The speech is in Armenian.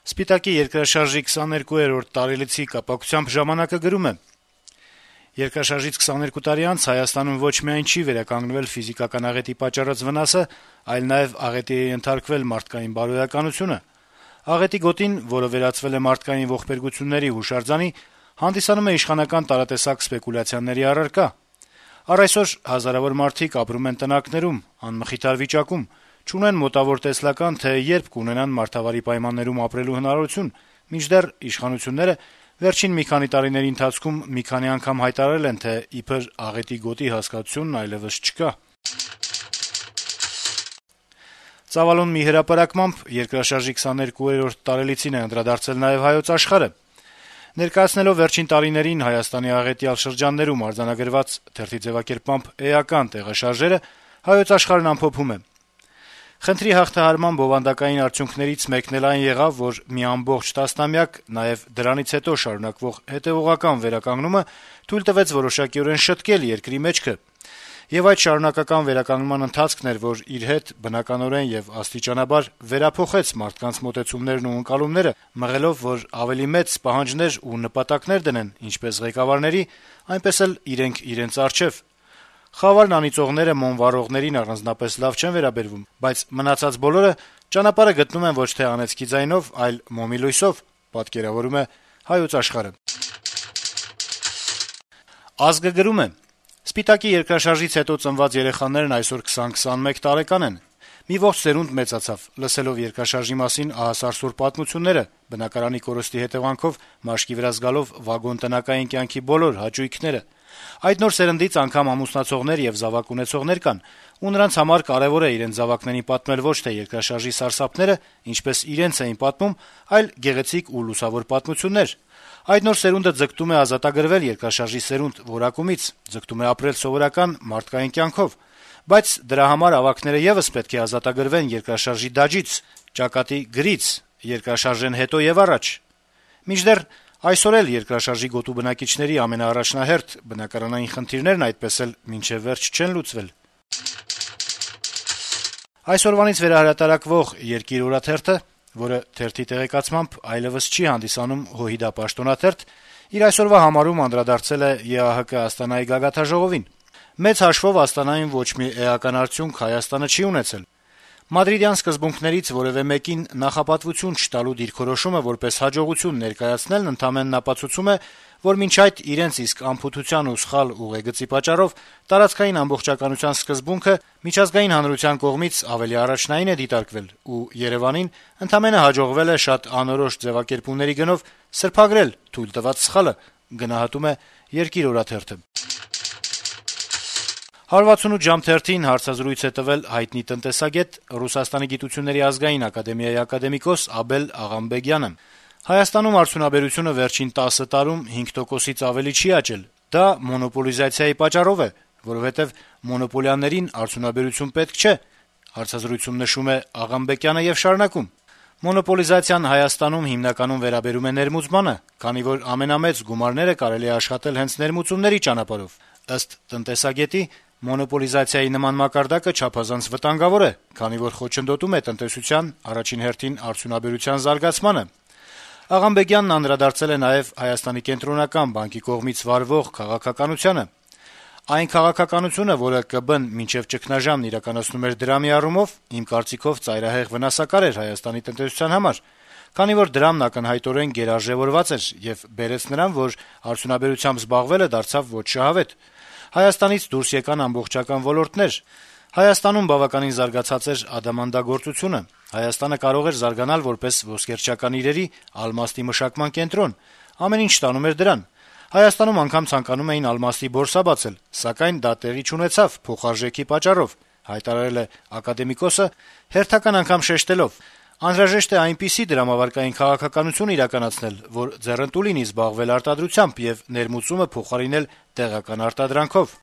Սպիտակի երկրաշարժի 22-րդ տարելիցի կապակցությամբ «Ժամանակ»-ը գրում է. - «Երկրաշարժից 22 տարի անց Հայաստանում ոչ միայն չի վերականգնվել ֆիզիկական աղետի պատճառած վնասը, այլ նաեւ աղետի է ենթարկվել մարդկային բարոյականությունը։ Աղետի գոտին, որը վերածվել է մարդկային ողբերգությունների հուշարձանի, հանդիսանում է իշխանական տարատեսակ սպեկուլյացիաների առարկա։ Առ այսօր հազարավոր մարդիկ ապրում են տնակներում, անմխիթար վիճակում, չունեն մոտավոր տեսլական, թե երբ կունենան մարդավարի պայմաններում ապրելու հնարավորություն, մինչդեռ իշխանությունները վերջին մի քանի տարիների ընթացքում մի քանի անգամ հայտարարել են, թե իբր աղետի գոտի հասկացությունն այլեւս չկա»։ Ծավալուն մի հրապարակմամբ երկրաշարժի 22-րդ տարելիցին է անդրադարձել նաեւ «Հայոց Աշխարհ»-ը։ Ներկայացնելով վերջին տարիներին Հայաստանի աղետյալ շրջաններում արձանագրված թերթի ձեւակերպմամբ էական տեղաշարժերը, «Հայոց Աշխարհ»-ն ամփոփում է. - «Խնդրի հաղթահարման բովանդակային արդյունքներից մեկն էլ այն եղավ, որ մի ամբողջ տասնամյակ, նաեւ դրանից հետո շարունակվող հետեւողական վերականգնումը թույլ տվեց որոշակիորեն շտկել երկրի մեջքը։ Եվ այդ շարունակական վերականգնման ընթացքն էր, որ իր հետ բնականորեն եւ աստիճանաբար վերափոխեց մարդկանց մոտեցումներն ու ընկալումները, մղելով, որ ավելի մեծ պահանջներ ու նպատակներ դնեն ինչպես ղեկավարների, այնպես էլ իրենք իրենց առջեւ։ Խավարն անիծողները մոմ վառողներին առանձնապես լավ չեն վերաբերվում, բայց մնացած բոլորը ճանապարհը գտնում են ոչ թե անեծքի ձայնով, այլ մոմի լույսով», պատկերավորում է «Հայոց Աշխարհ»-ը։ «Ազգ»-ը գրում է. - «Սպիտակի երկրաշարժից հետո ծնված երեխաներն այսօր 20-21 տարեկան են։ Մի ողջ սերունդ մեծացավ, լսելով երկրաշարժի մասին ահասարսուռ պատմությունները, բնակարանի կորստի հետեւանքով մաշկի վրա զգալով վագոն տնակային կյանքի բոլոր հաճույքները։ Այդ նոր սերնդից անգամ ամուսնացողներ եւ զավակ ունեցողներ կան, ու նրանց համար կարեւոր է իրենց զավակներին պատմել ոչ թե երկրաշարժի սարսափները, ինչպես իրենց էին պատմում, այլ գեղեցիկ ու լուսավոր պատմություններ։ Այդ նոր սերունդը ձգտում է ազատագրվել երկրաշարժի սերունդ որակումից, ձգտում է ապրել սովորական մարդկային կյանքով, բայց դրա համար ավագները եւս պետք է ազատագրվեն երկրաշարժի դաջից, ճակատի գրից, երկրաշարժեն հետո եւ առաջ։ Մինչդեռ այսօր էլ երկրաշարժի գոտու բնակիչների ամենաառաջնահերթ բնակարանային խնդիրներն այդպես էլ մինչեւ վերջ չեն լուծվել»։ Այսօրվանից վերահրատարակվող «Երկիր» օրաթերթը, որը թերթի տեղեկացմամբ այլեւս չի հանդիսանում ՀՅԴ պաշտոնաթերթ, իր այսօրվա համարում անդրադարձել է ԵԱՀԿ Աստանայի գագաթնաժողովին։ Մեծ հաշվով Աստանայում ոչ մի էական արդյունք Հայաստանը չի ունեցել։ Մադրիդյան սկզբունքներից որեւէ մեկին նախապատվություն չտալու դիրքորոշումը որպես հաջողություն ներկայացնելն ընդամենն ապացուցում է, որ մինչ այդ իրենց իսկ անփութության ու սխալ ուղեգծի պատճառով տարածքային ամբողջականության սկզբունքը միջազգային հանրության կողմից ավելի առաջնային է դիտարկվել, ու Երեւանին ընդամենը հաջողվել է շատ անորոշ ձեւակերպումների գնով սրբագրել թույլ տված սխալը, գնահատում է «Երկիր» օրաթերթը։ 168 ժամ թերթին հարցազրույց է տվել հայտնի տնտեսագետ, Ռուսաստանի գիտությունների ազգային ակադեմիայի ակադեմիկոս Աբել Աղամբեգյանը։ Հայաստանում արդյունաբերությունը վերջին 10 տարում 5%-ից ավելի չի աճել։ Դա մոնոպոլիզացիայի պատճառով է, որովհետեւ մոնոպոլիաներին արդյունաբերություն պետք չէ, հարցազրույցում նշում է Աղամբեկյանը եւ շարունակում. Մոնոպոլիզացիան Հայաստանում հիմնականում վերաբերում է ներմուծմանը, քանի որ ամենամեծ գումարները կարելի է աշխատել հենց ներմուծումների ճանապարհով։ Ըստ տնտեսագետի, մոնոպոլիզացիայի նման մակարդակը չափազանց վտանգավոր է, քանի որ խոչընդոտում է տնտեսության, առաջին հերթին արդյունաբերության զարգացմանը։ Աղամբեգյանն անդրադարձել է նաեւ Հայաստանի կենտրոնական բանկի կողմից վարվող քաղաքականությանը։ Այն քաղաքականությունը, որը ԿԲ-ն մինչեւ ճգնաժամն իրականացնում էր դրամի առումով, իմ կարծիքով ծայրահեղ վնասակար էր Հայաստանի տնտեսության համար, քանի որ դրամն ակնհայտորեն գերարժեւորված էր եւ բերեց նրան, որ արդյունաբերությամբ զբաղվելը դարձավ ոչ շահավետ։ Հայաստանից դուրս եկան ամբողջական ոլորտներ։ Հայաստանում բավականին զարգացած էր ադամանդագործությունը։ Հայաստանը կարող էր զարգանալ որպես ոսկերչական իրերի, ալմաստի մշակման կենտրոն։ Ամեն ինչ տանում էր դրան։ Հայաստանում անգամ ցանկանում էին ալմաստի բորսա բացել, սակայն դա տեղի չունեցավ փոխարժեքի պատճառով, հայտարարել է ակադեմիկոսը, հերթական անգամ շեշտելով. անհրաժեշտ է այնպիսի դրամավարկային քաղաքականություն իրականացնել, որ ձեռնտու լինի զբաղվել արտադրությամբ եւ ներմուծումը փոխարինել տեղական արտադրանքով։